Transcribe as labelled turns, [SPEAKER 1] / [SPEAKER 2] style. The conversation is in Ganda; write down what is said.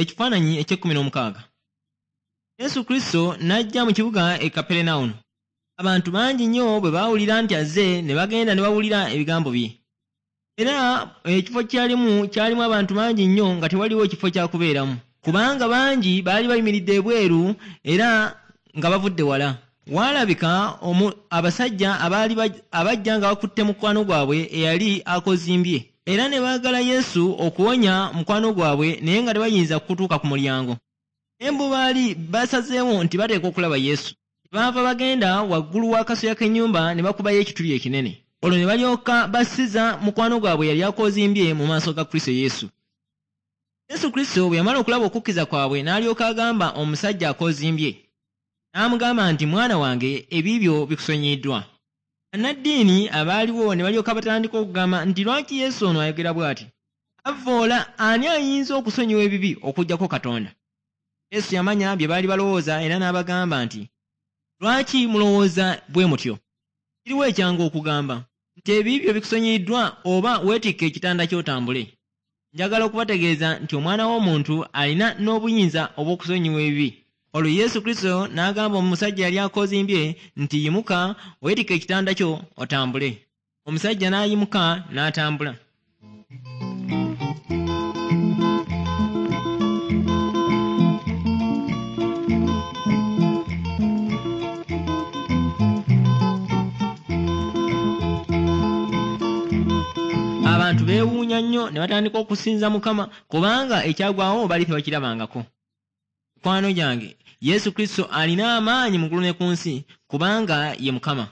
[SPEAKER 1] Ekifaananyi eky'ekkumi n'omukaaga. Yesu Kristo n'ajja mu kibuga e Kaperenawumu. Abantu bangi nnyo bwe baawulira nti azze, ne bagenda ne bawulira ebigambo bye. Era ekifo kyalimu kyalimu abantu bangi nnyo nga tewaliwo kifo kya kubeeramu, kubanga bangi baali bayimiridde ebweru era nga bavudde wala. Waalabika abasajja abaali abajja nga bakutte mukwano gwabwe eyali akozimbye, era ne baagala Yesu okuwonya mukwano gwabwe, naye nga tebayinza kutuuka ku mulyango. Naye bo baali basazeewo nti bateekwa okulaba Yesu. Baava bagenda waggulu w'akasolya k'ennyumba ne bakubayo ekituli ekinene. Olwo ne balyoka bassiza mukwano gwabwe yali akozimbye mu maaso ga Kristo Yesu. Yesu Kristo bwe yamala okulaba okukkiriza kwabwe, n'alyoka agamba omusajja akozimbye, n'amugamba nti, "Mwana wange, ebibyo bikusonyiyiddwa." Bannaddiini abaaliwo ne balyoka batandika okugamba nti, "Lwaki Yesu ono ayogera bw'ati? Avvoola ani ayinza okusonyiwa ebibi okuggyako Katonda?" Yesu yamanya bye baali balowooza era n'abagamba nti, "Lwaki mulowooza bwe mutyo? Kiriwo ekyangu okugamba nti ebibi byo bikusonyiyiddwa, oba weetikke ekitanda ky'otambule? Njagala okubategeeza nti Omwana w'Omuntu alina n'obuyinza obw'okusonyiwa ebibi." Olwo Yesu Kristo n'agamba omusajja yali akozimbye nti, "Yimuka, weetikke ekitanda kyo otambule." Omusajja n'ayimuka n'atambula. Abantu beewuunya nnyo ne batandika okusinza Mukama, kubanga ekyagwawo bali tebakirabangako. Mikwano gyange, Yesu Kristo alina amaanyi mu ggulu ne ku nsi, kubanga ye Mukama.